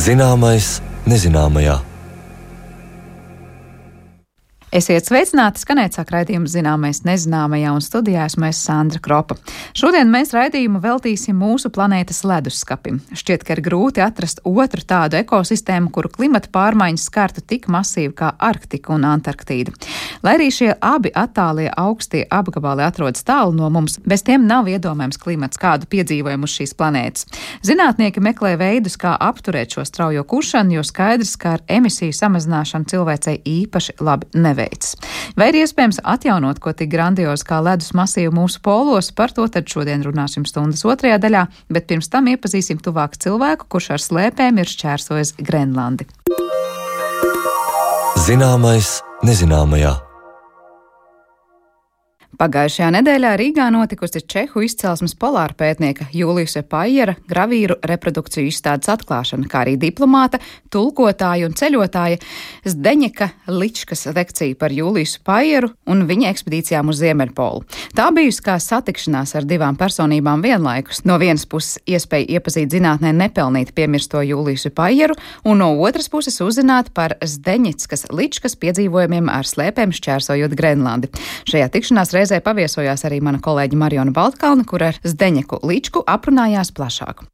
Zināmais nezināmajā. Esiet sveicināti, skanēt sāk raidījumu Zināmais nezināmajā, un studijā esmu Sandra Kropa. Šodien mēs raidījumu veltīsim mūsu planētas leduskapim. Šķiet, ka ir grūti atrast otru tādu ekosistēmu, kuru klimata pārmaiņas skartu tik masīvi kā Arktika un Antarktīda. Lai arī šie abi attālie augstie apgabali atrodas tālu no mums, bez tiem nav iedomājams klimats, kādu piedzīvojam uz šīs planētas. Zinātnieki meklē veidus, kā apturēt šo straujo kušanu, jo skaidrs, ka ar emisiju samazināšanu cilvēcei īpaši labi neveic. Vai ir iespējams atjaunot ko tik grandiozu kā ledus masīvu mūsu polos? Par to tad šodien runāsim stundas otrajā daļā, bet pirms tam iepazīsim tuvāk cilvēku, kurš ar slēpēm ir šķērsojis Grenlandi. Zināmais nezināmajā. Pagājušajā nedēļā Rīgā notikusi čehu izcelsmes polāra pētnieka Juliusa Paiera gravīru reprodukciju izstādes atklāšana, kā arī diplomāta, tulkotāja un ceļotāja Zdeņeka Ličkas lekcija par Juliusu Paieru un viņa ekspedīcijām uz Ziemeļpolu. Tā bijusi kā satikšanās ar divām personībām vienlaikus. No vienas puses iespēja iepazīt zinātnē nepelnīt piemirsto Juliusu Paieru, un no otras puses uzzināt par Zdeņeckas Ličkas piedzīvojumiem ar slēpēm šķērsojot Grenlandi. Šajā tikšanās reizē paviesojās arī mana kolēģe Mariona Baltkalne, kur ar Zdeņeku Ličku aprunājās plašāk.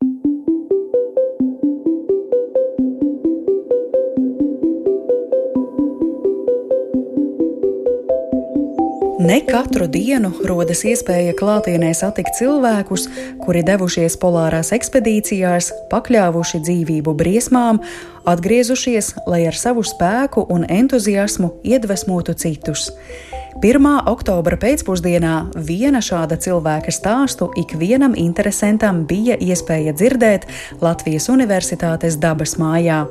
Ne katru dienu rodas iespēja klātienē satikt cilvēkus, kuri devušies polārās ekspedīcijās, pakļāvuši dzīvību briesmām, atgriezušies, lai ar savu spēku un entuziasmu iedvesmotu citus. 1. oktobra pēcpusdienā viena šāda cilvēka stāstu ikvienam interesantam bija iespēja dzirdēt Latvijas Universitātes dabas mājā.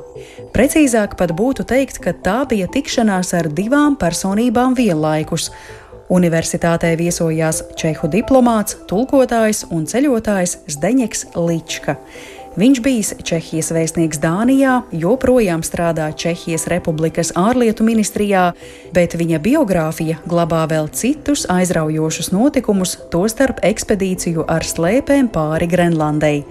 Precīzāk pat būtu teikt, ka tā bija tikšanās ar divām personībām vienlaikus. Universitātē viesojās čehu diplomāts, tulkotājs un ceļotājs Zdeņeks Lička. Viņš bijis Čehijas vēstnieks Dānijā, joprojām strādā Čehijas Republikas ārlietu ministrijā, bet viņa biogrāfija glabā vēl citus aizraujošus notikumus, tostarp ekspedīciju ar slēpēm pāri Grenlandei.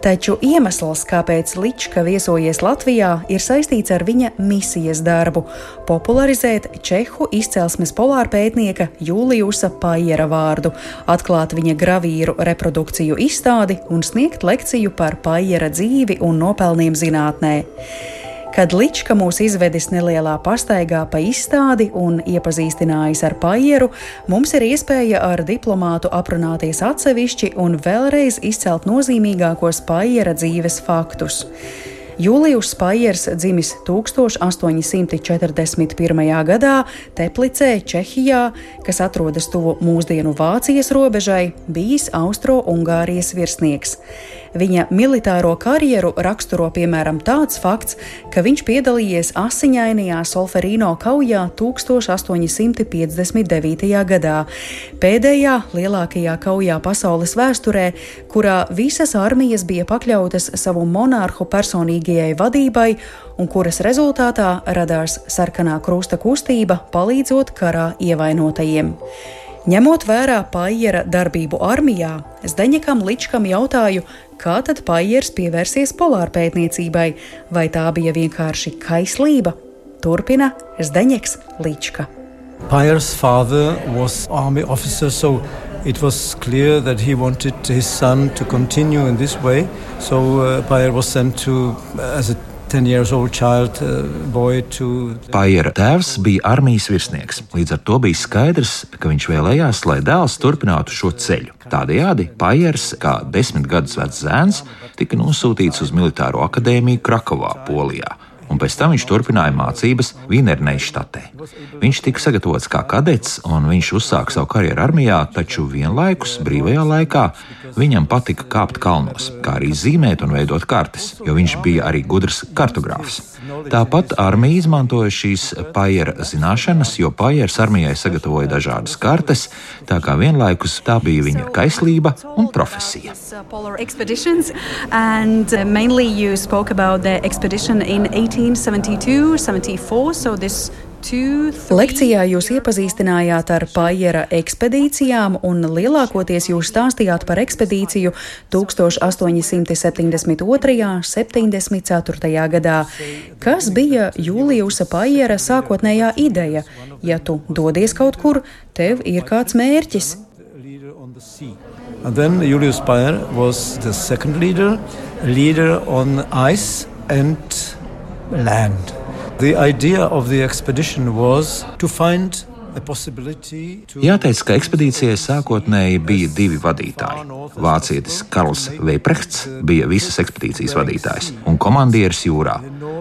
Taču iemesls, kāpēc Lička viesojies Latvijā, ir saistīts ar viņa misijas darbu – popularizēt čehu izcelsmes polārpētnieka Juliusa Paiera vārdu, atklāt viņa gravīru reprodukciju izstādi un sniegt lekciju par Paiera dzīvi un nopelniem zinātnē. Kad Lička mūs izvedis nelielā pastaigā pa izstādi un iepazīstinājis ar Paieru, mums ir iespēja ar diplomātu aprunāties atsevišķi un vēlreiz izcelt nozīmīgākos Paiera dzīves faktus. Julius Paiers dzimis 1841. gadā Teplicē, Čehijā, kas atrodas tuvu mūsdienu Vācijas robežai, bijis Austro-Ungārijas virsnieks. Viņa militāro karjeru raksturo piemēram tāds fakts, ka viņš piedalījies asiņainajā Solferino kaujā 1859. gadā, pēdējā lielākajā kaujā pasaules vēsturē, kurā visas armijas bija pakļautas savu monarhu personīgajai vadībai un kuras rezultātā radās Sarkanā krusta kustība, palīdzot karā ievainotajiem. Ņemot vērā Paiera darbību armijā, Zdeņekam Ličkam jautāju, kā tad Paiers pievērsies polārpētniecībai, vai tā bija vienkārši kaislība? Turpina Zdeņeks Lička. Paier's father was army officer, so it was clear that he wanted his son to continue in this way. So Paier was sent to as a 10-year-old child boy to... Paiera tēvs bija armijas virsnieks, līdz ar to bija skaidrs, ka viņš vēlējās, lai dēls turpinātu šo ceļu. Tādējādi Paiers, kā 10 gadus vecs zēns, tika nosūtīts uz militāro akadēmiju Krakovā, Polijā, un pēc tam viņš turpināja mācības Vīnerneištatē. Viņš tika sagatavots kā kadets, un viņš uzsāka savu karjeru armijā, taču vienlaikus brīvajā laikā viņam patika kāpt kalnos, kā arī zīmēt un veidot kartes, jo viņš bija arī gudrs kartogrāfs. Tāpat armija izmantoja šīs Paiera zināšanas, jo Paiers armijai sagatavoja dažādas kartes, tā kā vienlaikus tā bija viņa kaislība un profesija. And mainly you spoke about the expedition in 1872-74, so this Lekcijā jūs iepazīstinājāt ar Paiera ekspedīcijām un lielākoties jūs stāstījāt par ekspedīciju 1872.–74. gadā. Kas bija Juliusa Paiera sākotnējā ideja? Ja tu dodies kaut kur, tev ir kāds mērķis. And then Julius Payer was the second leader on ice and land. The idea of the expedition was to find a possibility to... Jāteic, ka ekspedīcijai sākotnēji bija divi vadītāji. Vācietis Karls Veiprechts bija visas ekspedīcijas vadītājs un komandieris jūrā,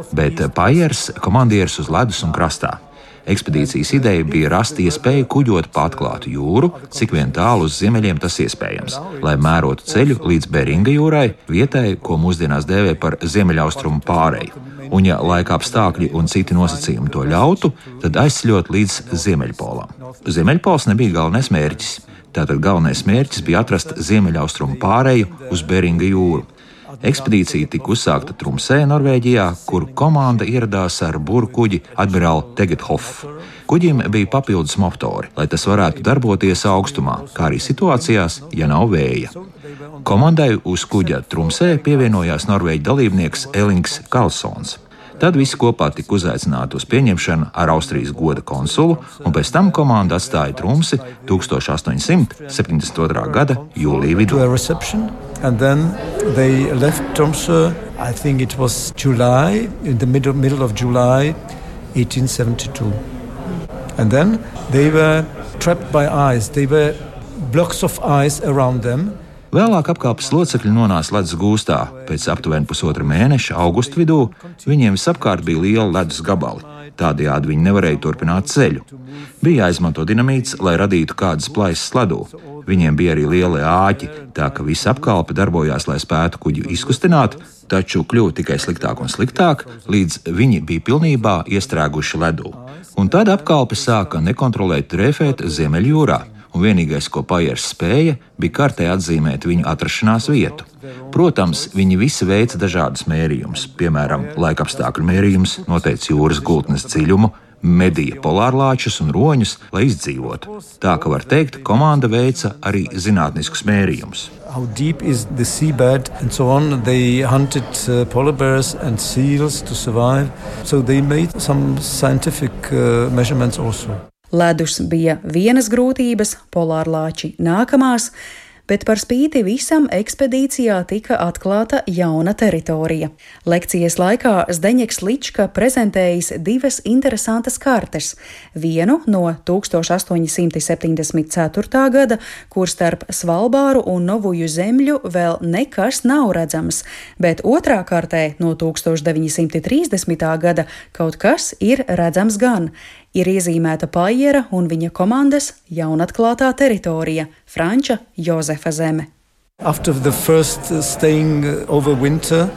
bet Paiers komandieris uz ledus un krastā. Ekspedīcijas ideja bija rast iespēju kuģot pa atklātu jūru, cik vien tālu uz ziemeļiem tas iespējams, lai mērotu ceļu līdz Beringa jūrai, vietai, ko mūsdienās dēvē par ziemeļaustrumu pāreju. Un ja laika apstākļi un citi nosacījumi to ļautu, tad aizceļot līdz Ziemeļpolam. Ziemeļpols nebija galvenais mērķis. Tātad galvenais mērķis bija atrast ziemeļaustrumu pāreju uz Beringa jūru. Ekspedīcija tika uzsākta Tromsē, Norvēģijā, kur komanda ieradās ar burkuģi Admiral Tegethoff. Kuģim bija papildus motori, lai tas varētu darboties augstumā, kā arī situācijās, ja nav vēja. Komandai uz kuģa Tromsē pievienojās norvēģu dalībnieks Elings Karlsons. Tad visi kopā tika uzaicināti uz pieņemšanu ar Austrijas goda konsulu, un pēc tam komanda atstāja Tromsi 1872. gada jūlija vidū. And then they left Tromsø, I think it was July, in the middle of July 1872. And then they were trapped by ice. They were blocks of ice around them. Vēlāk apkalpes locekļi nonāca ledus gūstā. Pēc aptuveni pusotra mēneša, augusta vidū, viņiem visapkārt bija liela ledus gabali. Tādējādi viņi nevarēja turpināt ceļu. Bija jāizmanto dinamīts, lai radītu kādas plaisas ledū. Viņiem bija arī lieli āķi, tā ka visa apkalpe darbojās, lai spētu kuģi izkustināt, taču kļuva tikai sliktāk un sliktāk, līdz viņi bija pilnībā iestrēguši ledū. Un tad apkalpe sāka nekontrolēt drēfēt Ziemeļjūrā, un vienīgais, ko Paiers spēja, bija kartē atzīmēt viņu atrašanās vietu. Protams, viņi visi veica dažādus mērījumus, piemēram, laikapstākļu mērījums, noteica jūras gultnes dziļumu, medīja polārlāčus un roņus, lai izdzīvotu. Tā ka var teikt, komanda veica arī zinātniskus mērījumus. How deep is the seabed and so on. They hunted polar bears and seals to survive. So they made some scientific measurements also. Ledus bija vienas grūtības, polārlāči nākamās, bet par spīti visam ekspedīcijā tika atklāta jauna teritorija. Lekcijas laikā Zdeņeks Lička prezentējis divas interesantas kartes. Vienu no 1874. gada, kur starp Svalbāru un Novuju zemļu vēl nekas nav redzams, bet otrā kartē no 1930. gada kaut kas ir redzams gan. Ir iezīmēta Paiera un viņa komandas jaunatklātā teritorija – Franča Jozefa zeme. After the first staying over winter,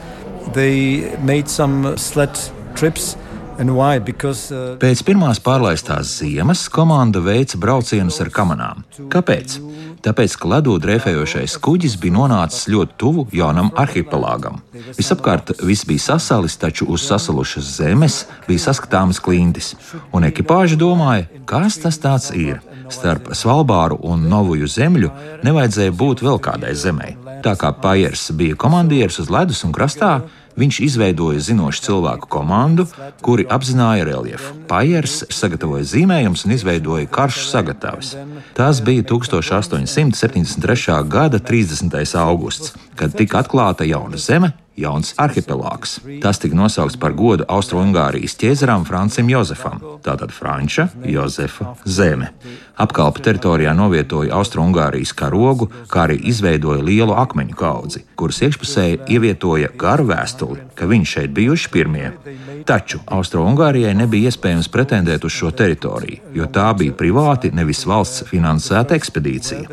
they made some sled trips. And why? Because, Pēc pirmās pārlaistās ziemas komanda veica braucienus ar kamanām. Kāpēc? Tāpēc, ka ledū drēfējošais kuģis bija nonācis ļoti tuvu jaunam arhipelāgam. Visapkārt viss bija sasalis, taču uz sasalušas zemes bija saskatāmas klintis. Un ekipāža domāja, kas tas tāds ir. Starp Svalbāru un Novuju zemļu nevajadzēja būt vēl kādai zemei. Tā kā Paiers bija komandieris uz ledus un krastā, viņš izveidoja zinošu cilvēku komandu, kuri apzināja reljefu. Paiers sagatavoja zīmējumus un izveidoja karšu sagatavis. Tas bija 1873. gada 30. augusts, kad tika atklāta jauna zeme, jauns arhipelāgs. Tas tika nosaukts par godu Austro-Ungārijas ķēzaram Francim Jozefam, tātad Franča Jozefa zeme. Apkalpe teritorijā novietoja Austro-Ungārijas karogu, kā arī izveidoja lielu akmeņu kaudzi, kuras iekšpusē ievietoja garu vēstuli, ka viņi šeit bijuši pirmie. Taču Austro-Ungārijai nebija iespējams pretendēt uz šo teritoriju, jo tā bija privāti, nevis valsts finansēta ekspedīcija.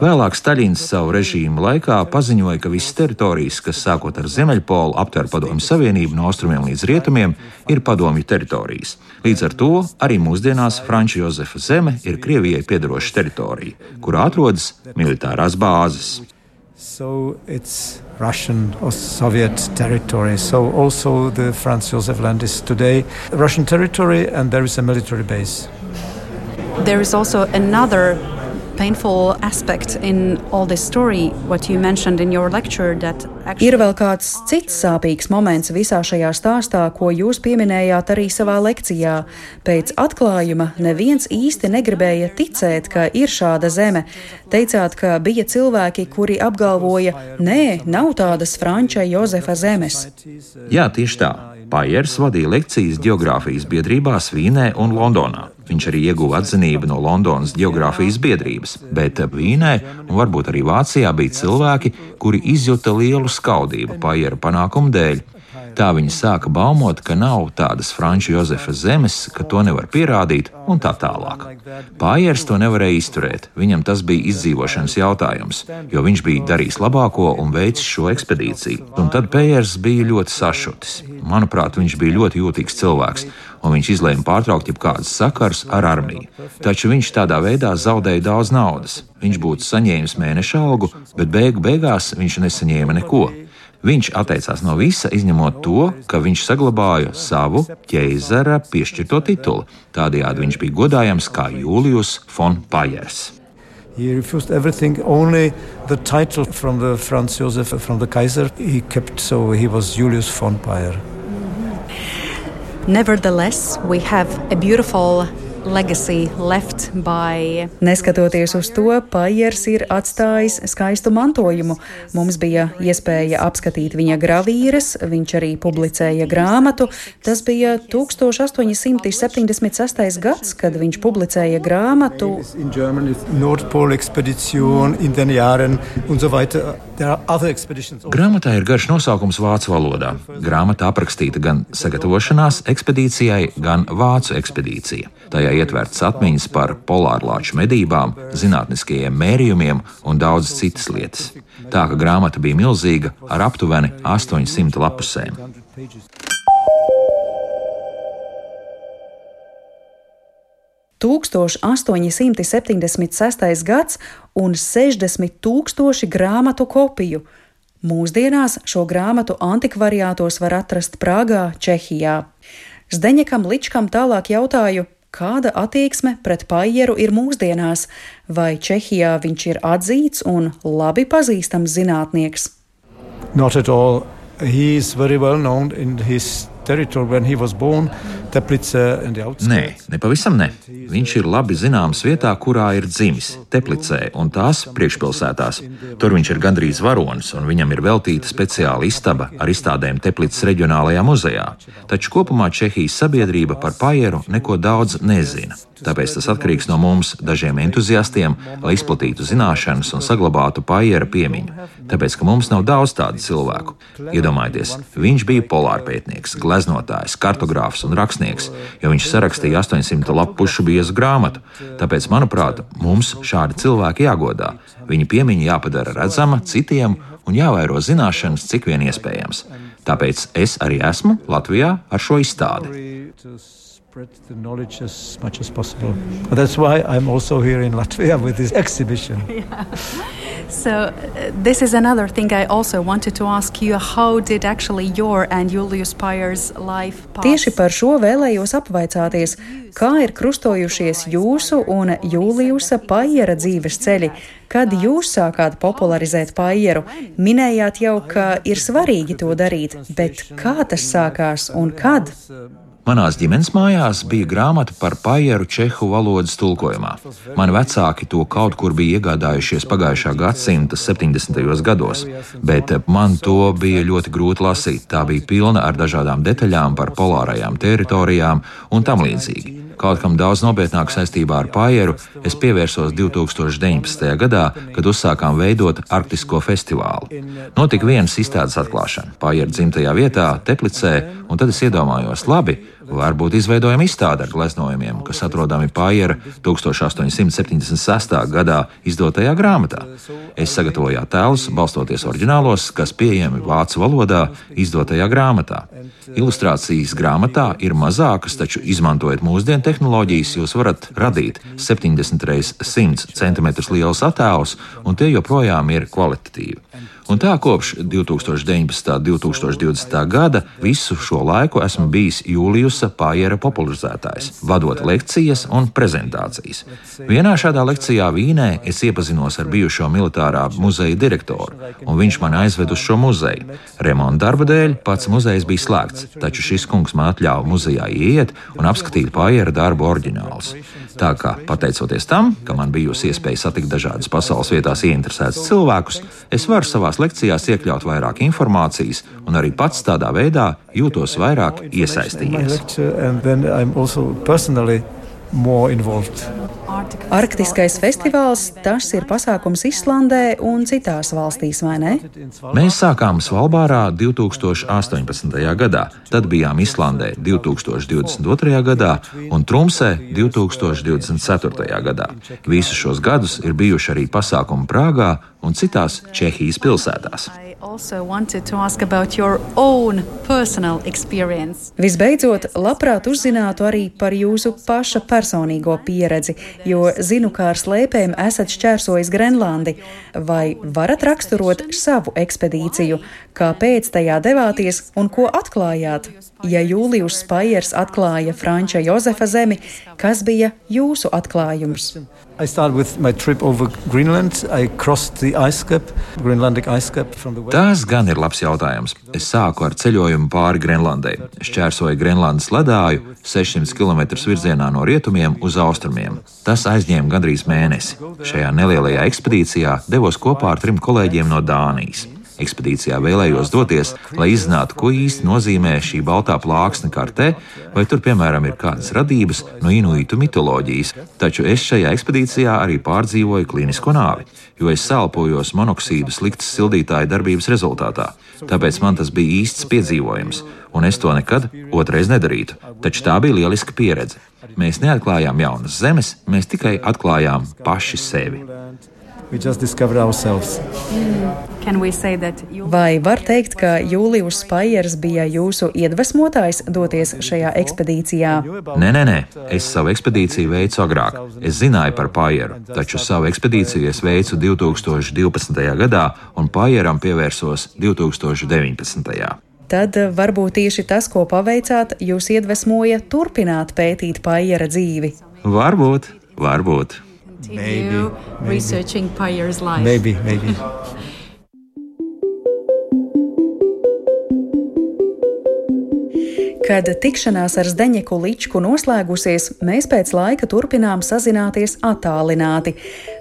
Vēlāk Staļins savu režīmu laikā paziņoja, ka visas teritorijas, kas sākot ar Ziemeļpolu aptver Padomju Savienību no austrumiem līdz rietumiem, ir padomju teritorijas. Līdz ar to arī mūsdienās Franča Jozefa zeme ir Krievijai piederoša teritorija, kurā atrodas militārās bāzes. So it's Russian or Soviet territory. So also the Franz Josef Land is today Russian territory, and there is a military base. There is also another painful aspect in all this story, what you mentioned in your lecture, that actually... Ir vēl kāds cits sāpīgs moments visā šajā stāstā, ko jūs pieminējāt arī savā lekcijā. Pēc atklājuma neviens īsti negribēja ticēt, ka ir šāda zeme. Teicāt, ka bija cilvēki, kuri apgalvoja, nē, nav tādas Franča Jozefa zemes. Jā, tieši tā. Paiers vadīja lekcijas geogrāfijas biedrībās Vīnē un Londonā. Viņš arī ieguva atzinību no Londonas geogrāfijas biedrības, bet Vīnē un varbūt arī Vācijā bija cilvēki, kuri izjuta lielu skaudību Paiera panākumu dēļ. Tā viņi sāka baumot, ka nav tādas Franča Jozefa zemes, ka to nevar pierādīt un tā tālāk. Paiers to nevarēja izturēt, viņam tas bija izdzīvošanas jautājums, jo viņš bija darījis labāko un veicis šo ekspedīciju. Un tad Paiers bija ļoti sašutis. Manuprāt, viņš bija ļoti jūtīgs cilvēks, un viņš izlēma pārtraukt jebkādas sakars ar armiju. Taču viņš tādā veidā zaudēja daudz naudas. Viņš būtu saņēmis mēneša algu, bet beigās viņš nesaņēma neko. Viņš atteicās no visa, izņemot to, ka viņš saglabāja savu ķeizara piešķirto titulu. Tādējādi viņš bija godājams kā Julius von Paiers. He refused everything, only the title from the Franz Josef, from the Kaiser, he kept, so he was Julius von Paier. Nevertheless, we have a beautiful legacy left by... Neskatoties uz to, Paiers ir atstājis skaistu mantojumu. Mums bija iespēja apskatīt viņa gravīras, viņš arī publicēja grāmatu. Tas bija 1876. gads, kad viņš publicēja grāmatu. In Germany, Nordpol Expedition, in den Jahren und so weiter. There are other expeditions. Grāmatā ir garš nosaukums vācu valodā. Grāmata aprakstīta gan sagatavošanās ekspedīcijai, gan vācu ekspedīcija. Tajā ietverts atmiņas par polārlāču medībām, zinātniskajiem mērījumiem un daudz citas lietas. Tā ka grāmata bija milzīga ar aptuveni 800 lapusēm. – 1876. gads un 60,000 grāmatu kopiju. Mūsdienās šo grāmatu antikvariātos var atrast Prāgā, Čehijā. Zdeņekam Ličkam tālāk jautāju, kāda attieksme pret Paieru ir mūsdienās, vai Čehijā viņš ir atzīts un labi pazīstams zinātnieks? Not at all. He is very well known in his territory when he was born. Nē, nepavisam ne. Viņš ir labi zināms vietā, kurā ir dzimis, Teplicē un tās priekšpilsētās. Tur viņš ir gandrīz varonis, un viņam ir veltīta speciāla istaba ar izstādēm Teplicas reģionālajā muzejā. Taču kopumā Čehijas sabiedrība par Paieru neko daudz nezina. Tāpēc tas atkarīgs no mums, dažiem entuziastiem, lai izplatītu zināšanas un saglabātu Paiera piemiņu. Tāpēc, ka mums nav daudz tādu cilvēku. Iedomājieties, viņš bija polārpētnieks, gleznotājs, kartogrāfs un rakstnieks, jo viņš sarakstīja 800 lapušu biezu grāmatu. Tāpēc, manuprāt, mums šādi cilvēki jāgodā. Viņa piemiņa jāpadara redzama citiem un jāvairo zināšanas, cik vien iespējams. Tāpēc es arī esmu Latvijā ar šo izstādi. Spread the knowledge as much as possible. That's why I'm also here in Latvia with this exhibition. Yeah. So this is another thing I also wanted to ask you. How did actually your and Julius Paier's life pass? Tieši par šo vēlējos apvaicāties, kā ir krustojušies jūsu un Juliusa Paiera dzīves ceļi. Kad jūs sākāt popularizēt Paieru, minējāt jau, ka ir svarīgi to darīt, bet kā tas sākās un kad? Manās ģimenes mājās bija grāmata par Paieru čehu valodas tulkojumā. Mani vecāki to kaut kur bija iegādājušies pagājušā gadsimta 70. gados, bet man to bija ļoti grūti lasīt. Tā bija pilna ar dažādām detaļām par polārajām teritorijām un tam līdzīgi. Kaut kam daudz nopietnāk saistībā ar Paieru es pievērsos 2019. gadā, kad uzsākām veidot Arktisko festivālu. Notika vienas izstādes atklāšana Paieru dzimtajā vietā, Teplicē, Un tad es iedomājos, labi, varbūt izveidojam izstādi ar gleznojumiem, kas atrodami Paiera 1876. gadā izdotajā grāmatā. Es sagatavoju attēlus, balstoties oriģinālos, kas pieejami vācu valodā izdotajā grāmatā. Ilustrācijas grāmatā ir mazākas, taču izmantojot mūsdienu tehnoloģijas, jūs varat radīt 70 x 100 cm lielus attēlus, un tie joprojām ir kvalitatīvi. Un tā kopš 2019. un 2020. gada visu šo laiku esmu bijis Juliusa Paiera popularizētājs, vadot lekcijas un prezentācijas. Vienā šādā lekcijā Vīnē es iepazinos ar bijušo militārā muzeja direktoru, un viņš mani aizved uz šo muzeju. Remonta darba dēļ pats muzejs bija slēgts, taču šis kungs man atļāva muzejā ieiet un apskatīt Paiera darbu oriģinālus. Tā kā, pateicoties tam, ka man bijusi iespēja satikt dažādas pasaules vietās ieinteresētus cilvēkus, es varu savās lekcijās iekļaut vairāk informācijas un arī pats tādā veidā jūtos vairāk iesaistījies. Arktiskais festivāls, tas ir pasākums Islandē un citās valstīs, vai ne? Mēs sākām Svalbārā 2018. gadā, tad bijām Islandē 2022. gadā un Trumsē 2024. gadā. Visus šos gadus ir bijuši arī pasākumi Prāgā un citās Čehijas pilsētās. Visbeidzot, labprāt uzzinātu arī par jūsu paša personīgo pieredzi, jo zinu, kā ar slēpēm esat šķērsojis Grenlandi. Vai varat raksturot savu ekspedīciju, kāpēc tajā devāties un ko atklājāt? Ja Julius Paiers atklāja Franča Jozefa zemi, kas bija jūsu atklājums? I started with my trip over Greenland. I crossed the ice cap, Greenlandic ice cap from the west. Tas gan ir labs jautājums. Es sāku ar ceļojumu pāri Grenlandei. Šķērsoju Grenlandes ledāju 600 km virzienā no rietumiem uz austrumiem. Tas aizņēma gandrīz mēnesi. Šajā nelielajā ekspedīcijā devos kopā ar 3 kolēģiem no Dānijas. Ekspedīcijā vēlējos doties, lai izzinātu, ko īsti nozīmē šī baltā plāksne kartē, vai tur, piemēram, ir kādas radības no inuitu mitoloģijas. Taču es šajā ekspedīcijā arī pārdzīvoju klinisko nāvi, jo es sālpojos monoksīdu sliktas sildītāja darbības rezultātā. Tāpēc man tas bija īsts piedzīvojums, un es to nekad otrais nedarītu. Taču tā bija lieliska pieredze. Mēs neatklājām jaunas zemes, mēs tikai atklājām paši sevi. Vai var teikt, ka Julius Paiers bija jūsu iedvesmotājs doties šajā ekspedīcijā? Nē. Es savu ekspedīciju veicu agrāk. Es zināju par Paieru, taču savu ekspedīciju es veicu 2012. gadā un Paieram pievērsos 2019. Tad varbūt tieši tas, ko paveicāt, jūs iedvesmoja turpināt pētīt Paiera dzīvi. Varbūt. Researching Paier's life. Maybe. Kad tikšanās ar Zdeņeku Ličku noslēgusies, mēs pēc laika turpinām sazināties attālināti.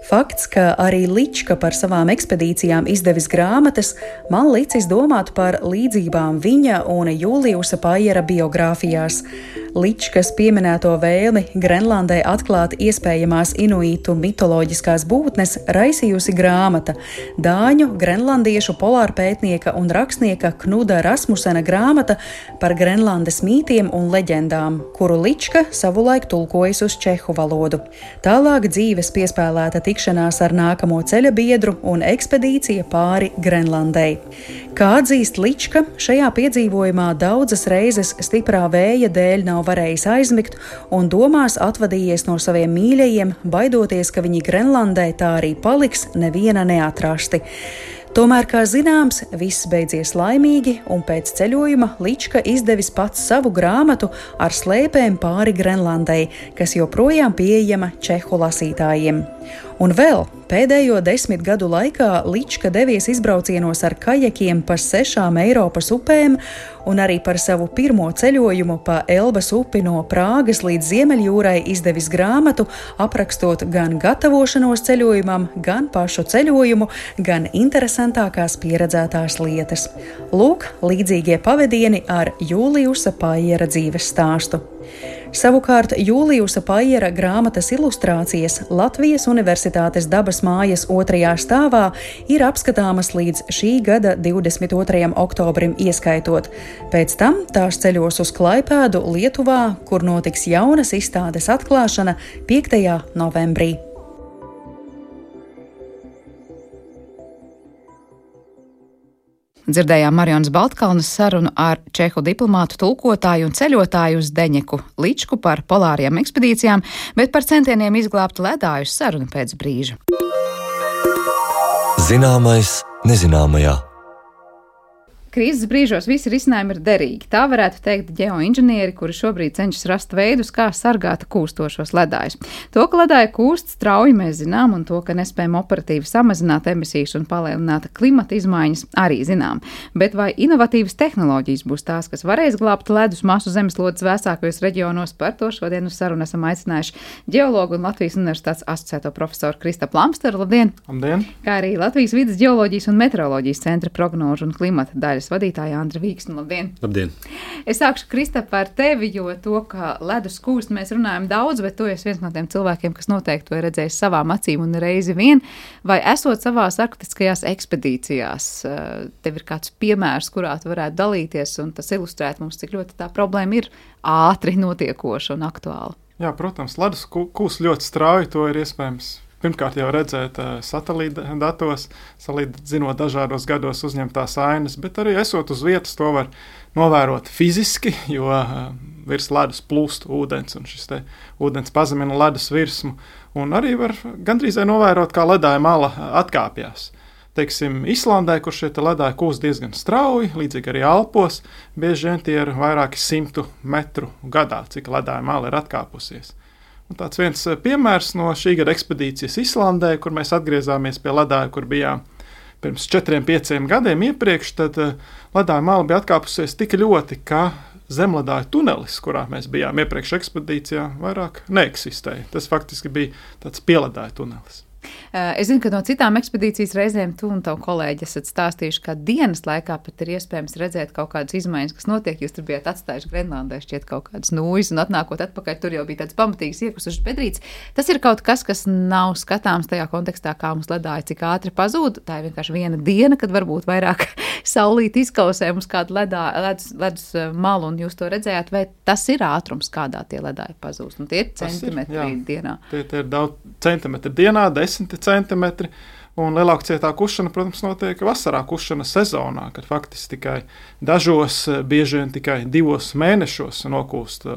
Fakts, ka arī Lička par savām ekspedīcijām izdevis grāmatas, man licis domāt par līdzībām viņa un Juliusa Paiera biogrāfijās. Ličkas pieminēto vēlmi Grenlandē atklāt iespējamās inuitu mitoloģiskās būtnes raisījusi grāmata – dāņu, grenlandiešu polārpētnieka un rakstnieka Knuda Rasmusena grāmata par Grenlandes mītiem un leģendām, kuru Lička savulaik tulkojas uz čehu valodu. Tālāk dzīves piespēlēta tikšanās ar nākamo ceļa biedru un ekspedīcija pāri Grenlandei. Kā atzīst Lička, šajā piedzīvojumā daudzas reizes stiprā vēja dēļ nav varējis aizmigt un domās atvadījies no saviem mīļajiem, baidoties, ka viņi Grenlandē tā arī paliks neviena neatrasti. Tomēr, kā zināms, viss beidzies laimīgi, un pēc ceļojuma Lička izdevis pats savu grāmatu ar slēpēm pāri Grenlandei, kas joprojām pieejama čehu lasītājiem. Un vēl pēdējo 10 gadu laikā Lička devies izbraucienos ar kajakiem pa 6 Eiropas upēm un arī par savu pirmo ceļojumu pa Elbas upi no Prāgas līdz Ziemeļjūrai izdevis grāmatu, aprakstot gan gatavošanos ceļojumam, gan pašu ceļojumu, gan interesantākās pieredzētās lietas. Lūk, līdzīgie pavadieni ar Juliusa Paiera dzīves stāstu. Savukārt Jūlijusa Paiera grāmatas ilustrācijas Latvijas Universitātes dabas mājas 2. stāvā ir apskatāmas līdz šī gada 22. oktobrim ieskaitot. Pēc tam tās ceļos uz Klaipēdu, Lietuvā, kur notiks jaunas izstādes atklāšana 5. novembrī. Dzirdējām Marijonas Baltkalnes sarunu ar čehu diplomātu, tulkotāju un ceļotāju uz Deņeku Ličku par polārajām ekspedīcijām, bet par centieniem izglābt ledājus sarunu pēc brīža. Zināmais nezināmajā. Krīzes brīžos visi risinājumi ir derīgi. Tā varētu teikt ģeoinženieri, kuri šobrīd cenšas rast veidus, kā sargāt kūstošos ledājus. To, ka ledāji kūst strauji, mēs zinām, un to, ka nespējam operatīvi samazināt emisijas un palielināt klimata izmaiņas, arī zinām. Bet vai inovatīvas tehnoloģijas būs tās, kas varēs glābt ledus masu zemeslodes vēsākajos reģionos? Par to šodien uz sarunu esam aicinājuši ģeologu un Latvijas Universitātes asociēto profesoru Kristapu Lamsteru. Labdien! Labdien! Kā arī Latvijas vides ģeoloģijas un meteoroloģijas centra prognožu un klimata daļas vadītāja Andra Vīksne. Labdien! Labdien! Es sākšu, Kristap, ar tevi, jo to, ka ledus kūst, mēs runājam daudz, bet tu esi viens no tiem cilvēkiem, kas noteikti to ir redzējis savām acīm un reizi vien. Vai esot savās arktiskajās ekspedīcijās, tev ir kāds piemērs, kurā tu varētu dalīties, un tas ilustrēt mums, cik ļoti tā problēma ir ātri notiekoša un aktuāla? Jā, protams, ledus kūst ļoti strauji, to ir iespējams pirmkārt jau redzēt satelīta datos, salīdzinot dažādos gados uzņemtās ainas, bet arī esot uz vietas to var novērot fiziski, jo virs ledus plūst ūdens, un šis te ūdens pazemina ledus virsmu, un arī var gandrīz novērot, kā ledāja mala atkāpjās. Teiksim, Islandē, kur šie ledāji kūst diezgan strauji, līdzīgi arī Alpos, bieži vien tie ir vairāki 100 metru gadā, cik ledāja mala ir atkāpusies. Un tāds viens piemērs no šī gada ekspedīcijas Islandē, kur mēs atgriezāmies pie ledāja, kur bijām pirms 4-5 gadiem iepriekš, tad ledāja mala bija atkāpusies tik ļoti, ka zemledāja tunelis, kurā mēs bijām iepriekš ekspedīcijā, vairāk neeksistēja. Tas faktiski bija tāds pieledāja tunelis. Es zinu, ka no citām ekspedīcijas reizēm tu un tavu kolēģi esat stāstījuši, ka dienas laikā pat ir iespējams redzēt kaut kādas izmaiņas, kas notiek. Jūs tur bijāt atstājuši Grenlandē šķiet kaut kādas nūjas, un atnākot atpakaļ, tur jau bija tāds pamatīgs iekusušas bedrītes. Tas ir kaut kas, kas nav skatāms tajā kontekstā, kā mums ledāji, cik ātri pazūd. Tā ir vienkārši viena diena, kad varbūt vairāk saulīt izkausē mums kādu ledus malu, un jūs to redzējāt, vai tas ir ātrums, kādā tie ledāji pazūst. Un tie ir centimetri dienā. Tie ir daudz centimetri dienā, 10 centimetri, un lielākā kušana, protams, notiek vasarā kušana sezonā, kad faktiski tikai dažos, bieži vien tikai 2 mēnešos nokūst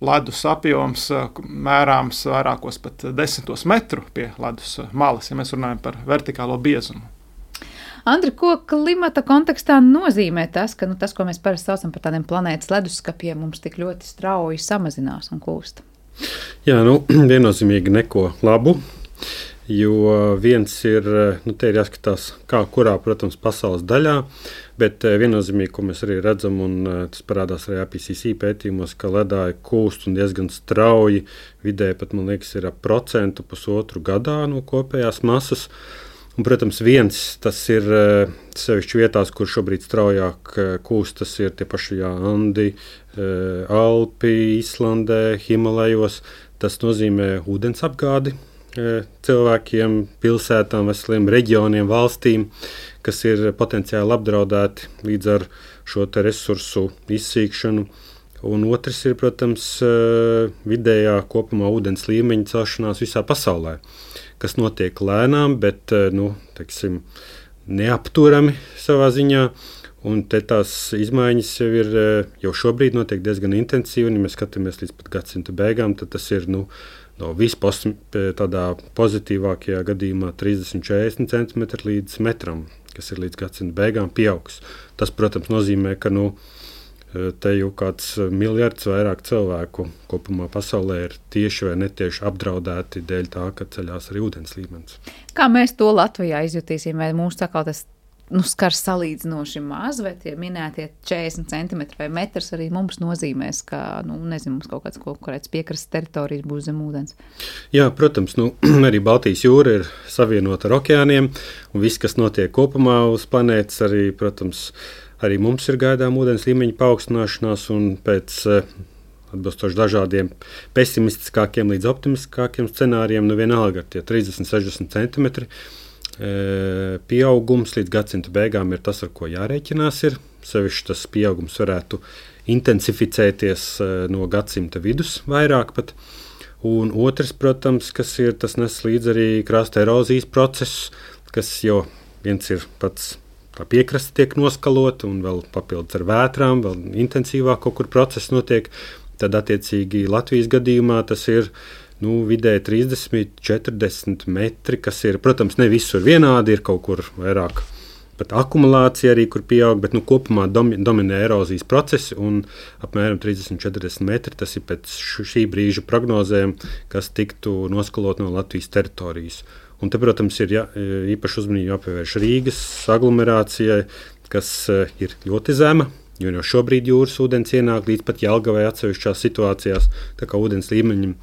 ledus apjoms, mērāms vairākos pat 10 metru pie ledus malas, ja mēs runājam par vertikālo biezumu. Andri, ko klimata kontekstā nozīmē tas, ka tas, ko mēs parasti saucam par tādiem planētas leduskapiem, mums tik ļoti strauji samazinās un kūst? Jā, viennozīmīgi neko labu. Jo viens ir, te ir jāskatās, kurā, protams, pasaules daļā, bet viennozīmīgi, ko mēs arī redzam, un tas parādās arī IPCC pētījumos, ka ledāji kūst un diezgan strauji, vidēji pat, man liekas, ir 1%-1,5% gadā no kopējās masas. Un, protams, viens, tas ir sevišķi vietās, kur šobrīd straujāk kūst, tas ir tie paši Andi, Alpi, Islandē, Himalajos. Tas nozīmē ūdens apgādi cilvēkiem, pilsētām, veseliem reģioniem, valstīm, kas ir potenciāli apdraudēti līdz ar šo te resursu izsīkšanu. Un otrs ir, protams, vidējā kopumā ūdens līmeņa celšanās visā pasaulē, kas notiek lēnām, bet teiksim, neapturami savā ziņā. Un te tās izmaiņas jau šobrīd notiek diezgan intensīvi, un ja mēs skatāmies līdz pat gadsimta beigām, tad tas ir no tādā pozitīvākajā gadījumā 30-40 cm līdz metram, kas ir līdz gadsimta beigām pieaugs. Tas, protams, nozīmē, ka te jau kāds miljards vairāk cilvēku kopumā pasaulē ir tieši vai netieši apdraudēti dēļ tā, ka ceļās arī ūdens līmenis. Kā mēs to Latvijā izjutīsim, vai mūsu sakal tas skars salīdzinoši maz, vai tie minētie 40 centimetri vai metrs arī mums nozīmēs, ka, mums kaut kāds konkurēts piekrastes teritorijas būs zem ūdens? Jā, protams, arī Baltijas jūra ir savienota ar okeāniem, un viss, kas notiek kopumā uz planētas, arī, protams, arī mums ir gaidām ūdens līmeņa paaugstināšanās, un pēc atbilstoši dažādiem pesimistiskākiem līdz optimistiskākiem scenārijiem, nu vienalga ar tie 30-60 centimetri pieaugums līdz gadsimta beigām ir tas, ar ko jārēķinās ir. Sevišķi tas pieaugums varētu intensificēties no gadsimta vidus vairāk pat. Un otrs, protams, kas ir, tas nes līdz arī krasta erozijas procesus, kas jau viens ir pats tā piekraste tiek noskalota un vēl papildus ar vētrām, vēl intensīvāk kaut kur process notiek. Tad attiecīgi Latvijas gadījumā tas ir vidēji 30-40 metri, kas ir, protams, ne visur vienādi, ir kaut kur vairāk. Pat akumulācija arī, kur pieaug, bet kopumā dominē erozijas procesi un apmēram 30-40 metri. Tas ir pēc šī brīža prognozēm, kas tiktu noskalot no Latvijas teritorijas. Un te, protams, ir īpaši uzmanību jāpievērš Rīgas aglomerācijai, kas ir ļoti zema, jo jau šobrīd jūras ūdens ienāk līdz pat Jelgavai atsevišķās situācijās, tā kā ūdens līmeņiem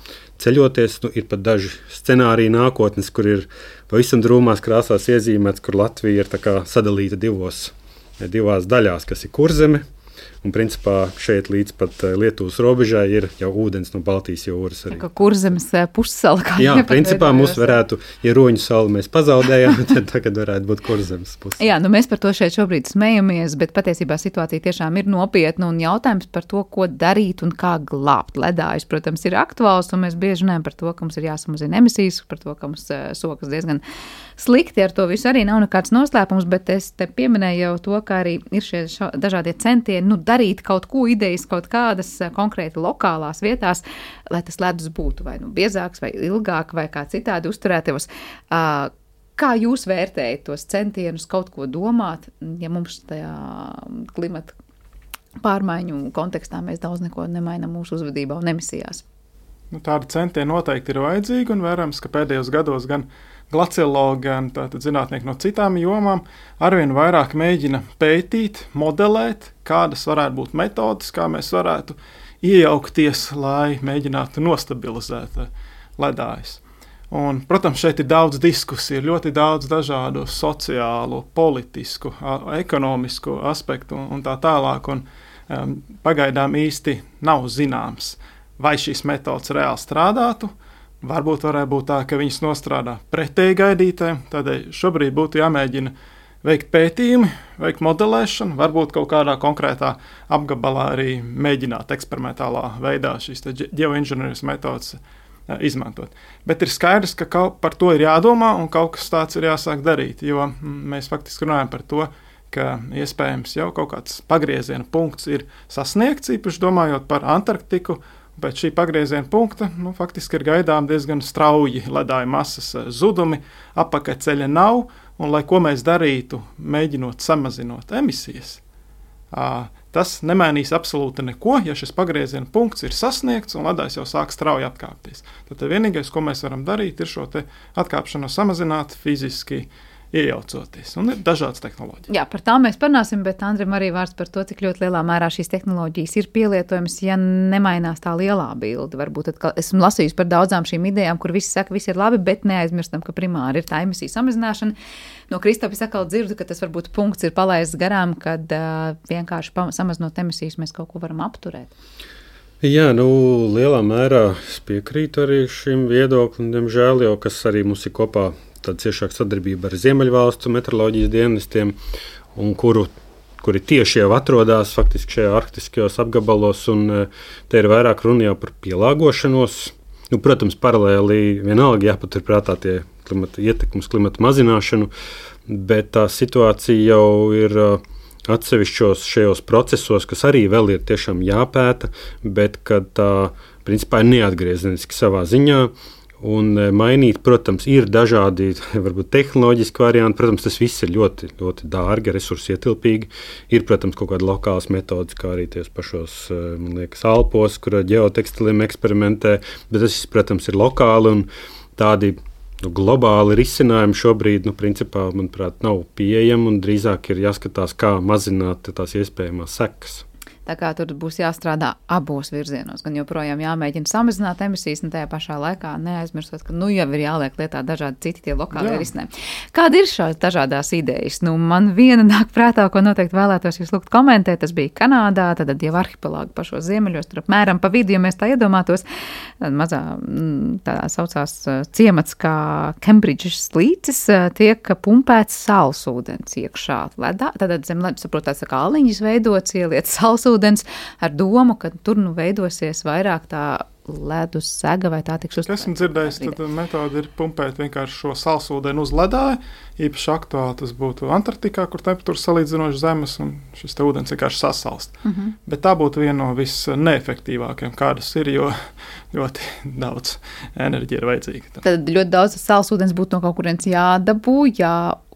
ceļoties, ir pat daži scenāriji nākotnes, kur ir pavisam drūmās krāsās iezīmēts, kur Latvija ir tā kā sadalīta divās daļās, kas ir Kurzeme. Un, principā, šeit līdz pat Lietuvas robežai ir jau ūdens no Baltijas jūras arī. Kā Kurzemes pussala. Jā, principā mums varētu, ja Roņu salu mēs pazaudējām, tad tagad varētu būt Kurzemes pussala. Jā, mēs par to šeit šobrīd smejamies, bet patiesībā situācija tiešām ir nopietna un jautājums par to, ko darīt un kā glābt ledājus, protams, ir aktuāls, un mēs bieži runājam par to, ka mums ir jāsamazina emisijas, par to, ka mums sokas diezgan slikti, ar to visu arī nav nekāds noslēpums, bet es te pieminēju jau to, ka arī ir šie dažādie centieni, darīt kaut ko idejas, kaut kādas konkrēti lokālās vietās, lai tas ledus būtu vai biezāks, vai ilgāk, vai kā citādi uzturētos. Kā jūs vērtējat tos centienus kaut ko domāt, ja mums tajā klimata pārmaiņu kontekstā mēs daudz neko nemainam mūsu uzvedībā un emisijās? Tādi centieni noteikti ir vajadzīgi un vērams, ka pēdējos gados gan glaciologi, gan zinātnieki no citām jomām arvien vairāk mēģina pētīt, modelēt, kādas varētu būt metodas, kā mēs varētu iejaukties, lai mēģinātu nostabilizēt ledājus. Un, protams, šeit ir daudz diskusiju, ļoti daudz dažādu sociālu, politisku, ekonomisku aspektu un tā tālāk. Un, pagaidām īsti nav zināms, vai šīs metodas reāli strādātu. Varbūt varētu būt tā, ka viņas nostrādā pretēji gaidītēm. Tādēļ šobrīd būtu jāmēģina veikt pētījumi, veikt modelēšanu, varbūt kaut kādā konkrētā apgabalā arī mēģināt eksperimentālā veidā šīs ģeoinženierijas metodas izmantot. Bet ir skaidrs, ka par to ir jādomā un kaut kas tāds ir jāsāk darīt, jo mēs faktiski runājam par to, ka iespējams jau kaut kāds pagrieziena punkts ir sasniegts, īpaši domājot par Antarktiku. Pēc šī pagrieziena punkta faktiski ir gaidām diezgan strauji ledāju masas zudumi, apakaļceļa nav, un lai ko mēs darītu, mēģinot samazinot emisijas, tas nemainīs absolūti neko, ja šis pagrieziena punkts ir sasniegts un ledājs jau sāk strauji atkāpties. Tad vienīgais, ko mēs varam darīt, ir šo te atkāpšanos samazināt fiziski iejaucoties. Un ir dažādas tehnoloģijas. Jā, par tām mēs parunāsim, bet Andrim arī vārds par to, cik ļoti lielā mērā šīs tehnoloģijas ir pielietojamas, ja nemainās tā lielā bilde. Varbūt atkal esmu lasījusi par daudzām šīm idejām, kur visi saka, viss ir labi, bet neaizmirstam, ka primāri ir tā emisija samazināšana. No Kristapis atkal dzirdu, ka tas varbūt punkts ir palaists garām, kad vienkārši samazinot emisijas mēs kaut ko varam apturēt. Jā, lielā mērā es piekrītu arī šim viedoklim, diemžēl, jo kas arī mums ir kopā tāda ciešāka sadarbība ar Ziemeļvalstu meteoroloģijas dienestiem, un kuri tieši jau atrodas faktiski šajā arktiskajos apgabalos, un te ir vairāk runa jau par pielāgošanos. Protams, paralēli vienalga jāpaturprātā tie ietekmes klimata mazināšanu, bet tā situācija jau ir atsevišķos šajos procesos, kas arī vēl ir tiešām jāpēta, bet kad tā principā ir neatgriezeniski savā ziņā. Un mainīt, protams, ir dažādi varbūt tehnoloģiski varianti. Protams, tas viss ir ļoti, ļoti dārgi, resursi ietilpīgi. Ir, protams, kaut kāda lokālas metodas, kā arī ties pašos, man liekas, Alpos, kur ģeotekstiliem eksperimentē. Bet tas, protams, ir lokāli un tādi globāli risinājumi šobrīd, principā, manuprāt, nav pieejami un drīzāk ir jāskatās, kā mazināt tās iespējamās sekas. Tā kā tur būs jāstrādā abos virzienos, gan joprojām jāmēģina samazināt emisijas, un tajā pašā laikā neaizmirstot, ka jau ir jāliek lietā dažādi citi tie lokālie risinājumi. Kāda ir šās dažādās idejas? Man viena nāk prātā, ko noteikti vēlētos jūs lūgt komentēt, tas bija Kanādā, tad jau arhipelāgu pašos ziemeļos, tur apmēram pa vidu, ja mēs tā iedomātos, mazā tā saucās ciemats kā Kembridžas līcis, tiek pumpēts salsūdens iekšā ledā, tad zem ledus, saprotās, kā aliņas veidots, ieliet salsūdens ar domu, ka tur veidosies vairāk tā ledus sega vai tā tiks uztvērta. Esmu dzirdējis, tad metode ir pumpēt vienkārši šo salsūdeni uz ledāju, īpaši aktuāli tas būtu Antarktikā, kur temperatūras salīdzinoši zemes, un šis te ūdens vienkārši sasalst. Bet tā būtu viena no visneefektīvākajām, kādas ir, jo ļoti daudz enerģija ir vajadzīga. Tad ļoti daudz salsūdens būtu no kaut kurienes jādabū,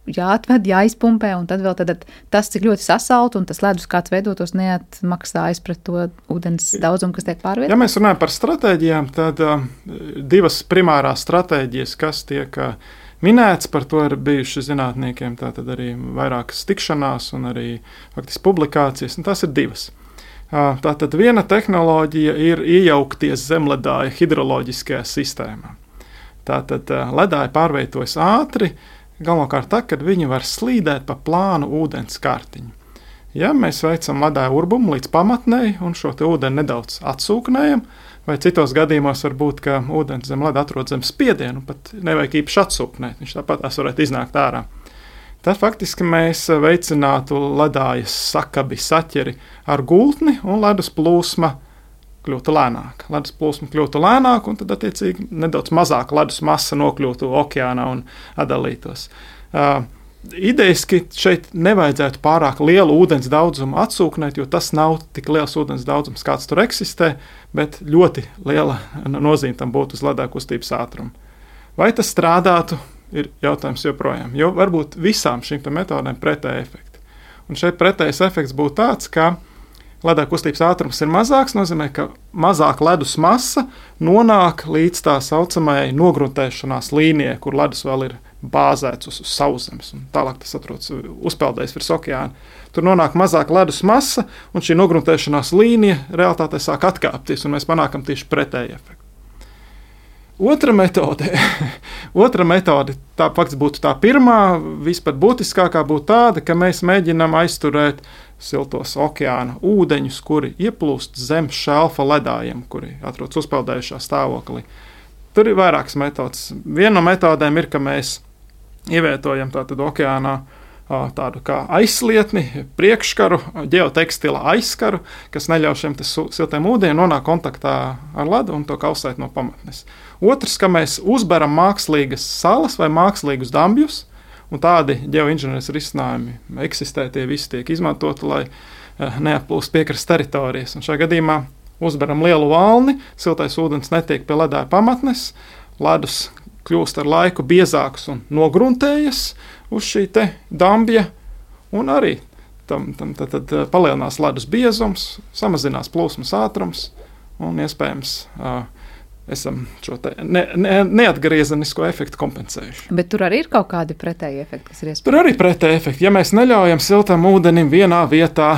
jāatved, jāizpumpē, un tad vēl tas, cik ļoti sasalt, un tas ledus kāds veidotos neatmaksājas pret to ūdens daudzumu, kas tiek pārvietots. Ja mēs runājam par stratēģijām, tad divas primārās stratēģijas, kas tiek minēts, par to ir bijuši zinātniekiem, tātad arī vairākas tikšanās un arī faktiski publikācijas, un tās ir divas. Tātad viena tehnoloģija ir iejaukties zemledāja hidroloģiskajā sistēmā. Tātad ledāja pārvietojas ātri, galvenokārt tā, kad viņi var slīdēt pa plānu ūdens kārtiņu. Ja mēs veicam ledāja urbumu līdz pamatnei un šo te ūdeni nedaudz atsūknējam, vai citos gadījumos var būt, ka ūdens zem leda atrod zem spiedienu, pat nevajag īpaši atsūknēt, viņš tāpat varētu iznākt ārā. Tad faktiski mēs veicinātu ledājas sakabi saķeri ar gultni un ledus plūsma kļūtu lēnāk. Ledus plūsma kļūtu lēnāk, un tad attiecīgi nedaudz mazāk ledus masa nokļūtu okeānā un atdalītos. Idejaski šeit nevajadzētu pārāk lielu ūdens daudzumu atsūknēt, jo tas nav tik liels ūdens daudzums, kāds tur eksistē, bet ļoti liela nozīme tam būtu uz ledāja kustības ātrumu. Vai tas strādātu, ir jautājums joprojām, jo varbūt visām šīm metodēm pretēji efekti. Un šeit pretējais efekts būtu tāds, ka ledāja kustības ātrums ir mazāks, nozīmē, ka mazāk ledus masa nonāk līdz tā saucamajai nogruntēšanās līnijai, kur ledus vēl ir bāzēts uz sauszemes, un tālāk tas atrodas uzpeldējis virs okeāna. Tur nonāk mazāk ledus masa, un šī nogruntēšanās līnija realitātē sāk atkāpties, un mēs panākam tieši pretēju efektu. Otra metode, tā faktiski būtu tā pirmā, vispār būtiskākā būtu tāda, ka mēs mēģinām aizturēt siltos okeāna ūdeņus, kuri ieplūst zem šelfa ledājiem, kuri atrodas uzpeldējušā stāvoklī. Tur ir vairākas metodes. Viena no metodēm ir, ka mēs ievietojam tātad okeānā tādu kā aizslietni, priekškaru, ģeotekstila aizskaru, kas neļauj šiem siltiem ūdeņiem nonākt kontaktā ar ledu un to kausēt no pamatnes. Otrs, ka mēs uzberam mākslīgas salas vai mākslīgus dambjus, un tādi ģeoinženieris risinājumi eksistē, tie visi tiek izmantoti, lai neatplūst piekrastes teritorijas. Un šajā gadījumā uzberam lielu valni, siltais ūdens netiek pie ledāja pamatnes, ledus kļūst ar laiku biezāks un nogruntējas uz šī te dambja, un arī tad palielinās ledus biezums, samazinās plūsmas ātrums, un iespējams esam šo te neatgriezenisko efektu kompensējuši. Bet tur arī ir kaut kādi pretēji efekti, kas ir iespējams? Tur arī pretēji efekti. Ja mēs neļaujam siltam ūdenim vienā vietā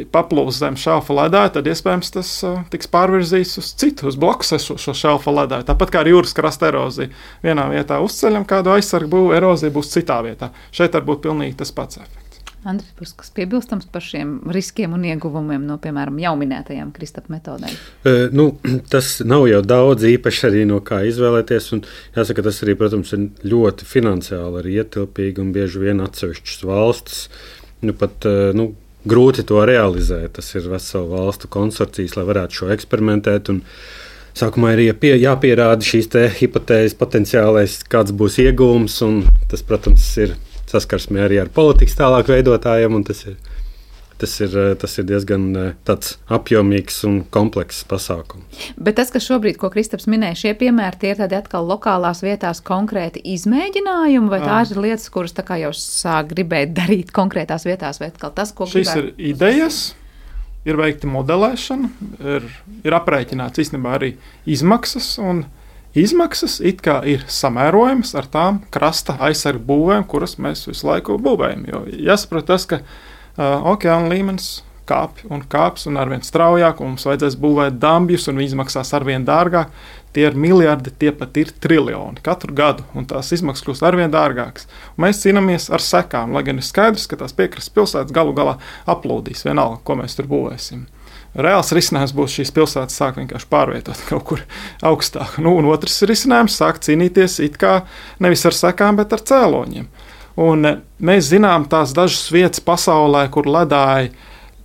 paplūst zem šelfa ledāja, tad iespējams tas tiks pārvirzīts uz citu, uz blakus esošo šelfa ledāju. Tāpat kā ar jūras krasta eroziju. Vienā vietā uzceļam kādu aizsargu būvu, erozija būs citā vietā. Šeit var būt pilnīgi tas pats efekts. Andris, būs kas piebilstams par šiem riskiem un ieguvumiem no, piemēram, jau minētajām Kristapa metodēm? Tas nav jau daudz īpaši arī no kā izvēlēties, un jāsaka, tas arī, protams, ir ļoti finansiāli arī ietilpīgi un bieži vien atsevišķas valstis, grūti to realizēt. Tas ir vesela valstu konsorcijas, lai varētu šo eksperimentēt, un sākumā ir jāpierāda šīs te hipotēzes potenciālais, kāds būs ieguvums, un tas, protams, ir saskarsmē arī ar politikas tālāk veidotājiem, un tas ir diezgan tāds apjomīgs un komplekss pasākums. Bet tas, kas šobrīd, ko Kristaps minēja, šie piemēri, tie ir tādi atkal lokālās vietās konkrēti izmēģinājumi, vai tās ir lietas, kuras tā kā jau sāk gribēt darīt konkrētās vietās, vai atkal tas, ko gribētu? Šis ir idejas, ir veikta modelēšana, ir aprēķināts īstenībā arī izmaksas, un izmaksas it kā ir samērojamas ar tām krasta aizsargu būvēm, kuras mēs visu laiku būvējam. Jo jāsaprot tas, ka okeāna līmenis kāpj un kāps un arvien straujāk, un mums vajadzēs būvēt dambjus, un viņi izmaksās arvien dārgāk. Tie ir miljardi, tie pat ir triljoni katru gadu, un tās izmaksas kļūst arvien dārgākas. Un mēs cīnāmies ar sekām, lai gan ir skaidrs, ka tās piekrastes pilsētas galu galā aplūdīs vienalga, ko mēs tur būvēsim. Reāls risinājums būs šīs pilsētas sākt vienkārši pārvietot kaut kur augstāk. Un otrs risinājums sākt cīnīties it kā nevis ar sekām, bet ar cēloņiem. Un mēs zinām tās dažas vietas pasaulē, kur ledāji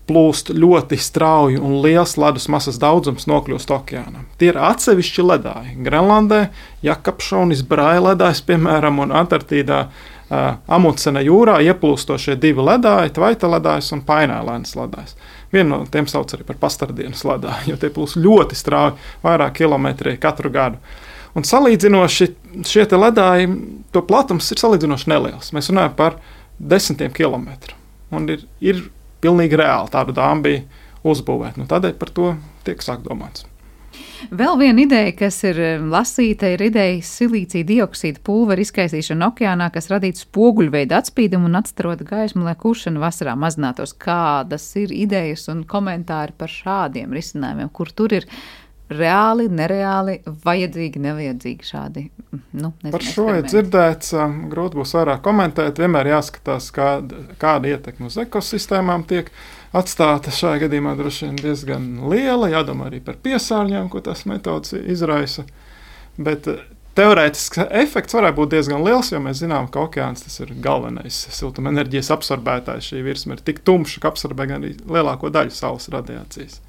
plūst ļoti strauji un liels ledus masas daudzums nokļūst okeānam. Tie ir atsevišķi ledāji. Grenlandē, Jakobšonis, Braja ledājs, piemēram, un Antarktīdā Amundsena jūrā ieplūstošie 2 ledāji, Tvaita ledājs un Painēlēnas ledājs. Vienu no tiem sauc arī par pastardienas ledāju, jo tie plūst ļoti strauji, vairāk kilometri katru gadu. Un salīdzinoši šie te ledāji, to platums ir salīdzinoši neliels. Mēs runājam par 10 kilometru. Un ir pilnīgi reāli tādu dambiju uzbūvēt. Tādēļ par to tiek sāk domāts. Vēl viena ideja, kas ir lasīta, ir ideja silīcija dioksīda pulvera izkaisīšana okeānā, kas radītu spoguļveidu atspīdumu un atstarota gaismu, lai kušana vasarā mazinātos. Kādas ir idejas un komentāri par šādiem risinājumiem, kur tur ir reāli, nereāli, vajadzīgi, nevajadzīgi šādi? Par šo ir dzirdēts, grūti būs vairāk komentēt. Vienmēr jāskatās, kāda ietekme uz ekosistēmām tiek atstāta. Šajā gadījumā droši vien diezgan liela, jādomā arī par piesārņojumu, ko tās metodas izraisa. Bet teorētiski efekts varētu būt diezgan liels, jo mēs zinām, ka okeāns tas ir galvenais siltumenerģijas absorbētājs. Šī virsma ir tik tumša, ka absorbē gan arī lielāko daļu saules radiācijas.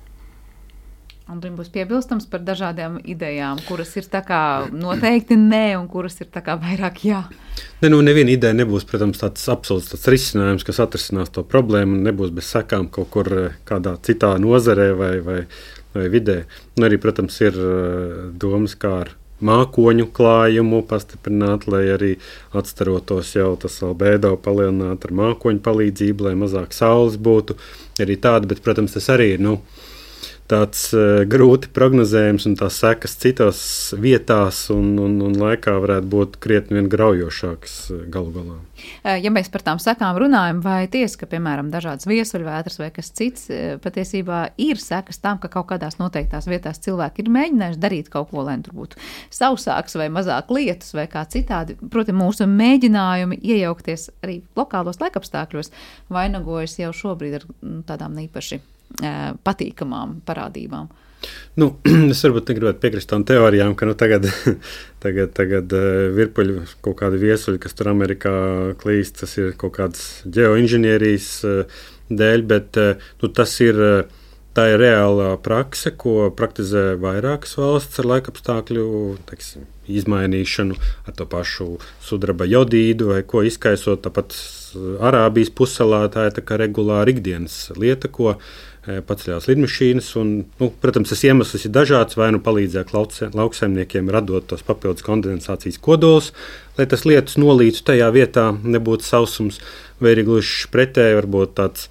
Un tur būs piebilstams par dažādām idejām, kuras ir tā kā noteikti nē, un kuras ir tā kā vairāk jā. Neviena ideja nebūs, protams, tāds absolūts risinājums, kas atrisinās to problēmu, un nebūs bez sekām kaut kur kādā citā nozarē vai vidē. Un arī, protams, ir domas, kā ar mākoņu klājumu pastiprināt, lai arī atstarotos jau tas albedo palielināt ar mākoņu palīdzību, lai mazāk saules būtu. Arī tāda, bet, protams, tas arī ir, tāds grūti prognozējums, un tās sekas citās vietās un laikā varētu būt krietni vien graujošākas galu galā. Ja mēs par tām sekām runājam, vai tiesa, ka, piemēram, dažādas viesuļvētras vai kas cits, patiesībā ir sekas tam, ka kaut kādās noteiktās vietās cilvēki ir mēģinājuši darīt kaut ko, lai tur būtu sausāks vai mazāk lietus vai kā citādi. Protams, mūsu mēģinājumi iejaukties arī lokālos laikapstākļos vainagojas jau šobrīd ar tādām īpaši patīkamām parādībām. Es varbūt negribētu piekrist tām teorijām, ka tagad virpuļu kaut kādi viesuļi, kas tur Amerikā klīst, tas ir kaut kādas ģeoinženierijas dēļ, bet tā ir reālā prakse, ko praktizē vairākas valsts ar laikapstākļu izmainīšanu, ar to pašu sudraba jodīdu vai ko izkaisot. Tāpat Arābijas pussalā tā ir tā kā regulāra ikdienas lieta, ko paceļās lidmašīnas. Un, protams, tas iemesls ir dažāds, vai palīdzēt lauksaimniekiem radot tos papildus kondensācijas kodolus, lai tas lietus nolītu tajā vietā, nebūtu sausums, vai arī gluži pretēji varbūt tāds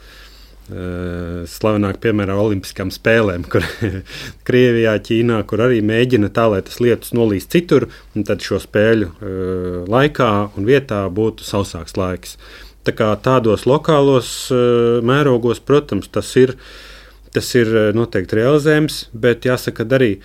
slavenāk piemēram olimpiskām spēlēm, kur Krievijā, Ķīnā, kur arī mēģina tā, lai tas lietus nolīst citur, un tad šo spēļu laikā un vietā būtu sausāks laiks. Tā kā tādos lokālos mērogos, protams, tas ir noteikti realizējams, bet jāsaka, arī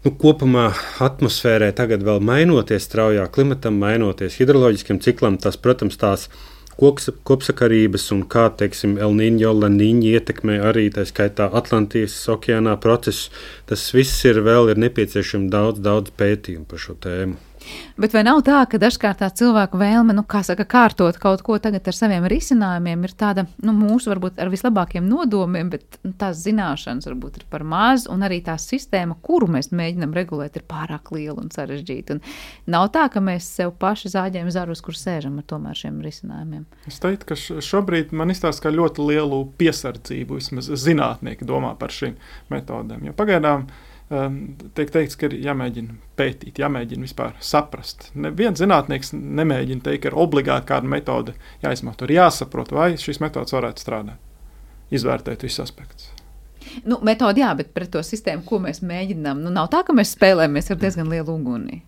kopumā atmosfērē tagad vēl mainoties straujā klimatam, mainoties hidroloģiskiem ciklam, tas, protams, tās kopsakarības un kā, teiksim, El Niño, La Niña ietekmē arī tā skaitā Atlantijas okeānā procesus. Tas viss ir nepieciešams daudz pētījumu par šo tēmu. Bet vai nav tā, ka dažkārt tā cilvēku vēlme, kārtot kaut ko tagad ar saviem risinājumiem ir tāda, mūsu varbūt ar vislabākiem nodomiem, bet tās zināšanas varbūt ir par maz, un arī tā sistēma, kuru mēs mēģinam regulēt, ir pārāk liela un sarežģīta. Un nav tā, ka mēs sev paši zāģējam zarus, kur sēžam ar tomēr šiem risinājumiem. Es teiktu, ka šobrīd man izstāsta, ka ļoti lielu piesardzību vismaz zinātnieki domā par šīm metodēm, jo pagaidām tiek teikts, ka ir jāmēģina pētīt, jāmēģina vispār saprast. Neviens zinātnieks nemēģina teikt, ka ir obligāti kāda metode jāizmanto. Ir jāsaprot, vai šīs metodas varētu strādāt. Izvērtēt visus aspektus. Metodi bet pret to sistēmu, ko mēs mēģinām, nav tā, ka mēs spēlējamies ar diezgan lielu uguni.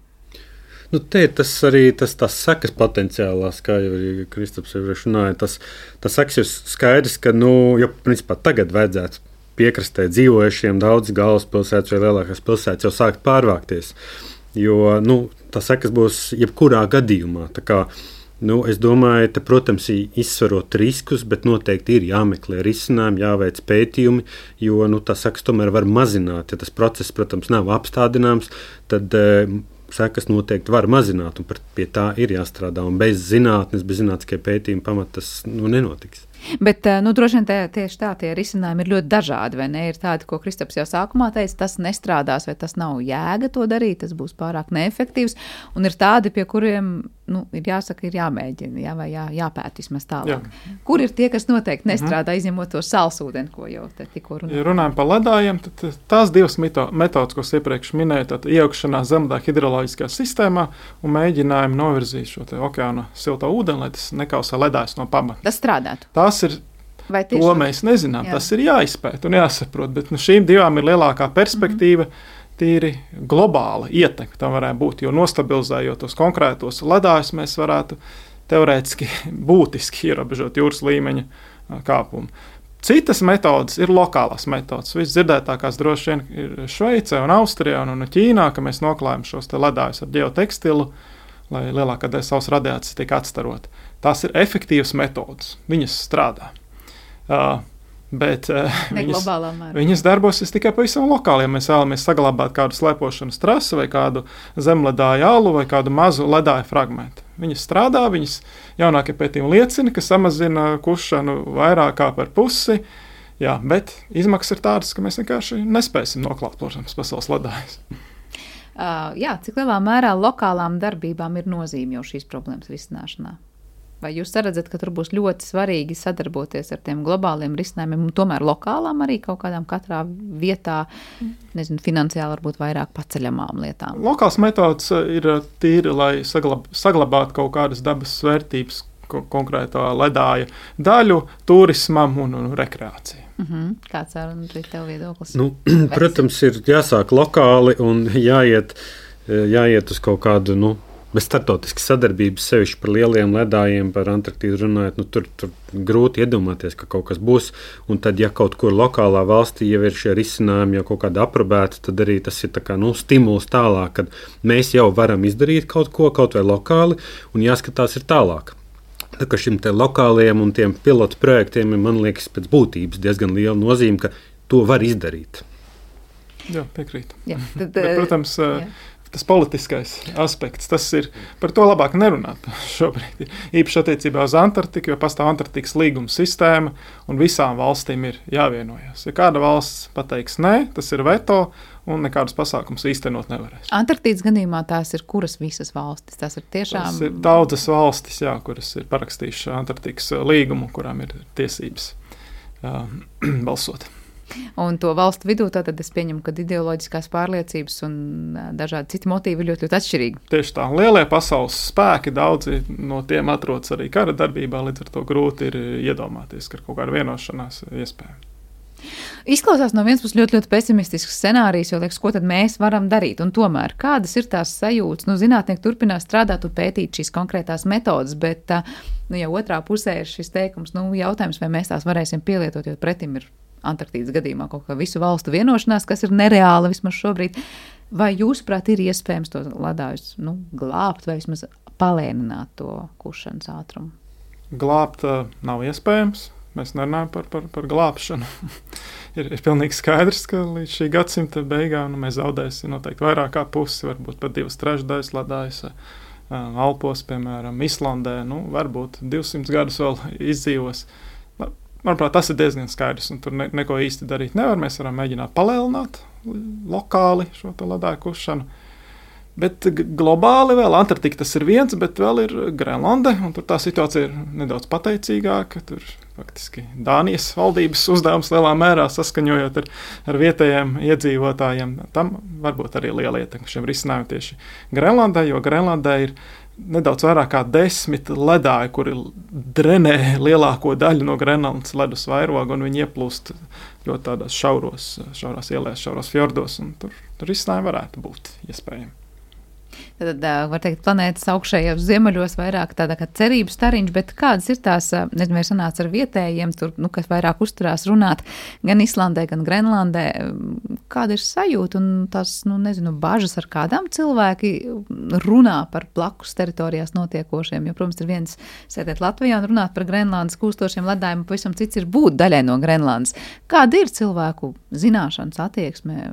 Nu, te ir tas arī tās sekas potenciālās, kā jau arī Kristaps runāja. Tas sekas ir skaidrs, ka, ja principā tagad vajadzētu piekrastē dzīvojušiem daudz galvaspilsētas vai lielākās pilsētas jau sākt pārvākties, jo, tas sekas būs jebkurā gadījumā. Tā kā, es domāju, te, protams, izsverot riskus, bet noteikti ir jāmeklē risinājumi, jāveic pētījumi, jo, tas sekas tomēr var mazināt. Ja tas process, protams, nav apstādināms, tad sekas noteikti var mazināt, un pie tā ir jāstrādā. Un bez zinātnes, bez zinātniskie pētījumi pamata tas nenotiks. Bet, droši vien tieši tā, tie risinājumi ir ļoti dažādi, vai ne? Ir tādi, ko Kristaps jau sākumā teica, tas nestrādās, vai tas nav jēga to darīt, tas būs pārāk neefektīvs, un ir tādi, pie kuriem, ir jāsaka, ir jāmēģina, vai jāpēt vismaz tālāk. Jā. Kur ir tie, kas noteikti nestrādā, izņemot to salsūdeni, ko jau te tikko runājam? Ja runājam par ledājiem, tad tās divas metodas, ko es iepriekš minēju, tad iejaukšanās zemledāja hidroloģiskā sistēmā un mēģinājumi novirzīt šo te okeāna silto ūdeni, lai tas nekausē ledājus no pamata. Tas strādātu. Tas ir, to mēs nezinām, tas ir jāizpēt un jāsaprot, bet šīm divām ir lielākā perspektīva, tīri globāla ietekme tam varētu būt, jo nostabilizējot tos konkrētos ledājus, mēs varētu teorētiski būtiski ierobežot jūras līmeņa kāpumu. Citas metodas ir lokālās metodas. Visdzirdētākās droši vien ir Šveicē un Austrijā un Ķīnā, ka mēs noklājam šos te ledājus ar ģeotekstilu, lai lielākā daļa savas radiācijas tiek atstarota. Tās ir efektīvas metodas. Viņas strādā. Bet viņas darbosies tikai pavisam lokāli. Ja mēs vēlamies saglabāt kādu slēpošanas trasi vai kādu zemledāju alu vai kādu mazu ledāju fragmentu. Viņas strādā, viņas jaunākie pētījumi liecina, ka samazina kušanu vairāk kā par pusi. Jā, bet izmaksas ir tādas, ka mēs vienkārši nespēsim noklāt, protams, pasaules ledājus. Cik lielā mērā lokālām darbībām ir nozīme jau šīs problēmas risināšanā? Vai jūs redzat, ka tur būs ļoti svarīgi sadarboties ar tiem globāliem risinājumiem un tomēr lokālām arī kaut kādām katrā vietā, finansiāli varbūt vairāk paceļamām lietām? Lokāls metods ir tīri, lai saglabātu kaut kādas dabas vērtības konkrētā ledāja daļu turismam un rekreācijai. Kāds ir tev viedoklis? Protams, ir jāsāk lokāli un jāiet uz kaut kādu, bez starptautiskas sadarbības, sevišķi par lieliem ledājiem, par Antarktīdu runājot, tur grūti iedomāties, ka kaut kas būs. Un tad, ja kaut kur lokālā valstī jau ir šie risinājumi, jau kaut kāda aprobēta, tad arī tas ir tā kā, stimuls tālāk, kad mēs jau varam izdarīt kaut ko, kaut vai lokāli, un jāskatās ir tālāk. Tā kā šim te lokālajiem un tiem pilotu projektiem, man liekas, pēc būtības diezgan liela nozīme, ka to var izdarīt. Jā, piekrīt. Jā, bet, protams, tas politiskais aspekts, tas ir par to labāk nerunāt šobrīd. Īpaši attiecībā uz Antarktiku, jo pastāv Antarktikas līguma sistēma un visām valstīm ir jāvienojas. Ja kāda valsts pateiks nē, tas ir veto un nekādus pasākumus īstenot nevarēs. Antarktīdas gadījumā tās ir kuras visas valstis? Tas ir daudzas valstis, kuras ir parakstījušas Antarktikas līgumu, kurām ir tiesības balsot. Un to valstu vidū tātad es pieņemu, ka ideoloģiskās pārliecības un dažādi citi motīvi ir ļoti, ļoti atšķirīgi. Tieši tā. Lielie pasaules spēki, daudzi no tiem atrodas arī kara darbībā, līdz ar to grūti ir iedomāties, ka kaut kāda vienošanās iespējama. Izklausās no vienas puses ļoti, ļoti pesimistisks scenārijs, jo liekas, ko tad mēs varam darīt. Un tomēr, kādas ir tās sajūtas? Zinātnieki turpinās strādāt un pētīt šīs konkrētās metodas, bet jau otrā pusē ir šis teikums, jautājums, vai mēs tās varēsim pielietot, jo pretim ir Antarktīdas gadījumā kaut kā visu valstu vienošanās, kas ir nereāla vismaz šobrīd. Vai jūsuprāt ir iespējams to ledājus glābt vai vismaz palēnināt to kušanas ātrumu? Glābt nav iespējams. Mēs nerunājam par glābšanu. ir pilnīgi skaidrs, ka līdz šī gadsimta beigām mēs zaudēsim noteikti vairāk kā pusi, varbūt pat 2/3 ledājas Alpos, piemēram, Islandē. Varbūt 200 gadus vēl izdzīvos. Manuprāt, tas ir diezgan skaidrs, un tur neko īsti darīt nevar. Mēs varam mēģināt palēlināt lokāli šo ledāju kušanu. Bet globāli vēl Antarktika tas ir viens, bet vēl ir Grenlande, un tur tā situācija ir nedaudz pateicīgāka. Tur faktiski Dānijas valdības uzdevums lielā mērā saskaņojot ar vietējiem iedzīvotājiem. Tam varbūt arī liela ietekme šiem risinājumiem tieši Grenlandē, jo Grenlandē ir nedaudz vairāk kā 10 ledāji, kuri drenē lielāko daļu no Grenlandes ledus vairoga, un viņi ieplūst ļoti tādās šaurās ielās, šauros fjordos, un tur risinājumi varētu būt iespējami. Tad, var teikt, planētas augšējos ziemeļos vairāk tāda kā cerības stariņš, bet kādas ir tās, nezinu, vai sanāca ar vietējiem, tur, kas vairāk uzturās runāt gan Islandē, gan Grenlandē, kāda ir sajūta un tās, nezinu, bažas, ar kādām cilvēki runā par blakus teritorijās notiekošiem, jo, protams, ir viens sēdēt Latvijā un runāt par Grenlandes kūstošiem ledājiem, pavisam cits ir būt daļai no Grenlandes. Kāda ir cilvēku zināšanas, attieksme,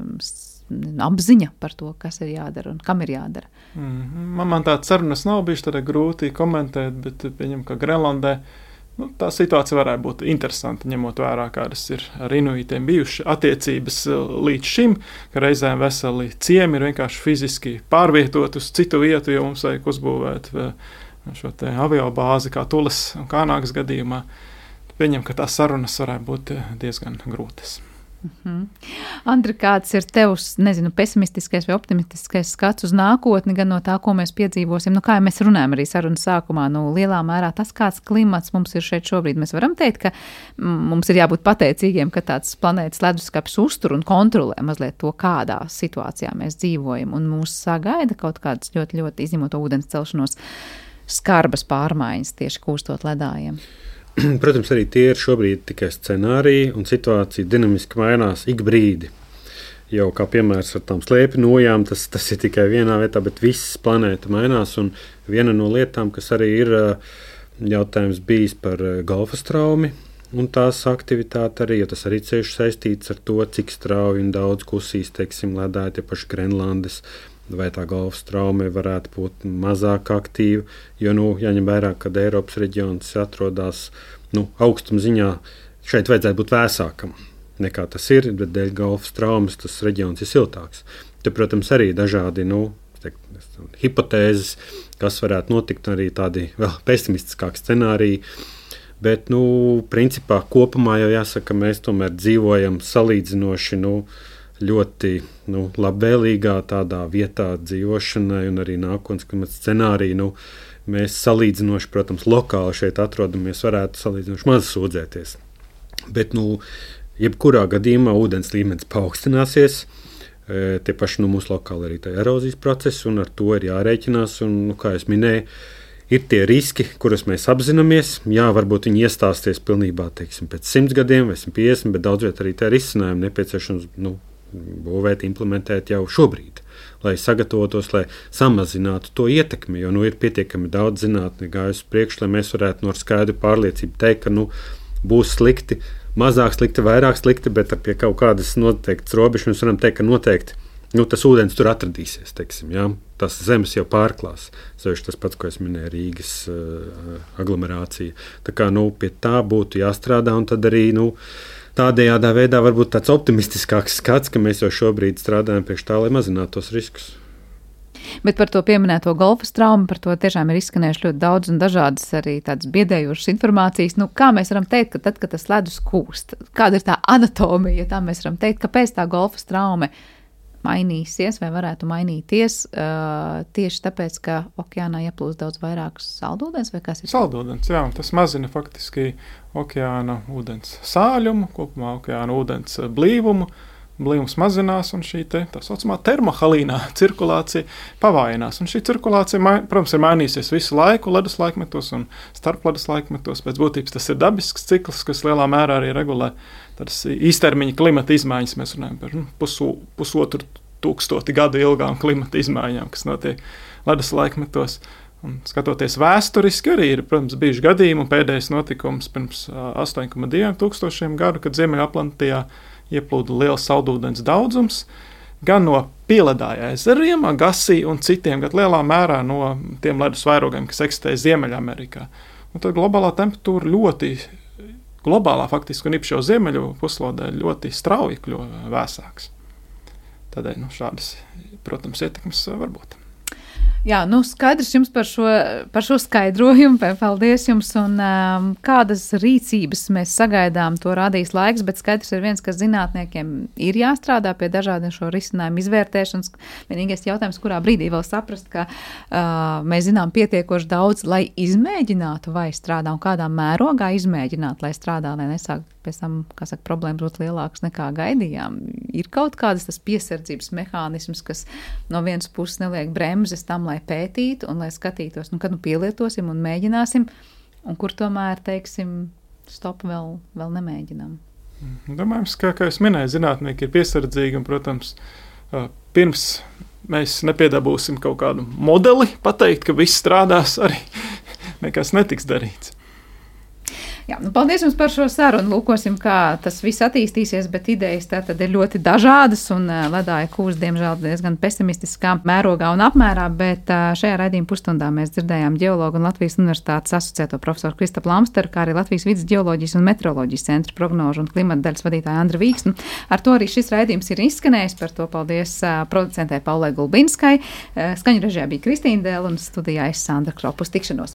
apziņa par to, kas ir jādara un kam ir jādara? Man tādas sarunas nav bijušas, tad grūti komentēt, bet pieņem, ka Grenlandē tā situācija varētu būt interesanta, ņemot vērā, kādas ir ar inuitiem bijušas attiecības līdz šim, ka reizēm veseli ciemi ir vienkārši fiziski pārvietot uz citu vietu, jo mums vajag uzbūvēt šo te aviobāzi kā Tules un Kānāgas gadījumā. Pieņem, ka tās sarunas varētu būt diezgan grūtas. Andri, kāds ir tevs, nezinu, pesimistiskais vai optimistiskais skats uz nākotni, gan no tā, ko mēs piedzīvosim? Kā mēs runājam arī sarunas sākumā, lielā mērā tas, kāds klimats mums ir šeit šobrīd. Mēs varam teikt, ka mums ir jābūt pateicīgiem, ka tāds planētas leduskapis uztur un kontrolē mazliet to, kādā situācijā mēs dzīvojam, un mūs sagaida kaut kādas ļoti, ļoti izņemot ūdens celšanos skarbas pārmaiņas tieši kūstot ledājiem. Protams, arī tie ir šobrīd tikai scenāriji, un situācija dinamiski mainās ik brīdi. Jau kā piemērs ar tām slēpju nojām, tas ir tikai vienā vietā, bet viss planēta mainās. Un viena no lietām, kas arī ir jautājums bijis par golfa straumi un tās aktivitāti arī, jo tas arī cieši saistīts ar to, cik strauji un daudz kusīs, teiksim, ledāji tie paši Grenlandes, vai tā golfa straume varētu būt mazāk aktīva, jo, jāņem vērā, kad Eiropas reģions atrodas, augstuma ziņā, šeit vajadzētu būt vēsākam nekā tas ir, bet dēļ golfa straumes tas reģions ir siltāks. Te, protams, arī dažādi, hipotēzes, kas varētu notikt, arī tādi vēl pesimistiskāki scenāriji, bet, principā kopumā jau jāsaka, mēs tomēr dzīvojam salīdzinoši, ļoti labvēlīgā tādā vietā dzīvošanai un arī nākotnes klimata scenāriju. Mēs salīdzinoši, protams, lokāli šeit atrodamies, varētu salīdzinoši maz sūdzēties. Bet, jebkurā gadījumā ūdens līmenis paaugstināsies. Tie paši mūsu lokāli arī tā erozijas procesi, un ar to ir jārēķinās. Un, kā es minēju, ir tie riski, kurus mēs apzināmies. Jā, varbūt viņi iestāsies pilnībā, teiksim, pēc 100 gadiem vai 150, bet daudz viet arī tā risinājumi nepieciešams, būvēt, implementēt jau šobrīd, lai sagatavotos, lai samazinātu to ietekmi, jo ir pietiekami daudz zinātni gājusi priekš, lai mēs varētu no skaidru pārliecību teikt, ka būs slikti, mazāk slikti, vairāk slikti, bet pie kaut kādas noteiktas robežas mēs varam teikt, ka noteikti tas ūdens tur atradīsies, teiksim, jā, tas zemes jau pārklās, sevišķi tas pats, ko es minēju, Rīgas aglomerācija. Tā kā, pie tā būtu jāstrādā, un tad arī, tādējādā veidā varbūt tāds optimistiskāks skats, ka mēs jau šobrīd strādājam priekš tā, lai mazinātu tos riskus. Bet par to pieminēto golfa traumu, par to tiešām ir izskanējuši ļoti daudz un dažādas arī tādas biedējošas informācijas. Kā mēs varam teikt, ka tad, kad tas ledus kūst, kāda ir tā anatomija, ja tā mēs varam teikt, kāpēc tā golfa traume mainīsies vai varētu mainīties tieši tāpēc, ka okeānā ieplūst daudz vairāk saldūdens vai kas ir? Saldūdens, jā, tas mazina faktiski okeāna ūdens sāļumu, kopumā okeāna ūdens blīvumu. Blīvums mazinās un šī tā saucamā termohalīnā cirkulācija pavājinās. Un šī cirkulācija, protams, ir mainījusies visu laiku ledus laikmetos un starpledus laikmetos. Pēc būtības tas ir dabisks cikls, kas lielā mērā arī regulē tādas īstermiņa klimata izmaiņas. Mēs runājam par pusotru tūkstoti gadu ilgām klimata izmaiņām, kas notiek ledus laikmetos. Un skatoties vēsturiski, arī ir, protams, bijuši gadījumi, un pēdējais notikums pirms 8,2 tūkstošiem gadu, kad Ziemeļatlantijā ieplūda liels saldūdens daudzums, gan no Pieledāja ezeriem, Agasī un citiem, gan lielā mērā no tiem ledus vairogiem, kas eksistē Ziemeļamerikā. Un tad globālā temperatūra globālā faktiski un īpaši jau ziemeļu puslodē ļoti strauji kļuva vēsāks. Tādēļ šādas, protams, ietekmes var būt. Jā, skaidrs jums par šo skaidrojumu, paldies jums, un kādas rīcības mēs sagaidām, to rādīs laiks, bet skaidrs ir viens, ka zinātniekiem ir jāstrādā pie dažādiem šo risinājumu izvērtēšanas. Vienīgais jautājums, kurā brīdī vēl saprast, ka mēs zinām pietiekoši daudz, lai izmēģinātu, vai strādā, un kādā mērogā izmēģināt, lai strādā, lai nesāk pēc tam, problēmas būt lielākas nekā gaidījām, ir kaut kādas tas piesardzības mehānisms, kas no vienas puses neliek bremzes tam, lai pētītu un lai skatītos, kad pielietosim un mēģināsim, un kur tomēr, teiksim, stop vēl nemēģinām. Domājams, kā jūs minēju, zinātnieki ir piesardzīgi un, protams, pirms mēs nepiedabūsim kaut kādu modeli pateikt, ka viss strādās, arī nekas netiks darīts. Jā, paldies jums par šo sarunu. Lūkosim, kā tas viss attīstīsies, bet idejas tātad ir ļoti dažādas un ledāja kūs, diemžēl, diezgan pesimistiskā mērogā un apmērā, bet šajā raidījuma pusstundā mēs dzirdējām ģeologu un Latvijas Universitātes asociēto profesoru Kristapu Lamsteru, kā arī Latvijas vidas ģeoloģijas un meteoroloģijas centra prognožu un klimata daļas vadītāju Andru Vīksnu. Ar to arī šis raidījums ir izskanējis. Par to paldies producentē Paulai Gulbinskai. Skaņu režijā bija Kristīna Dēla un studijā es Sandra Kropa. Uz tikšanos!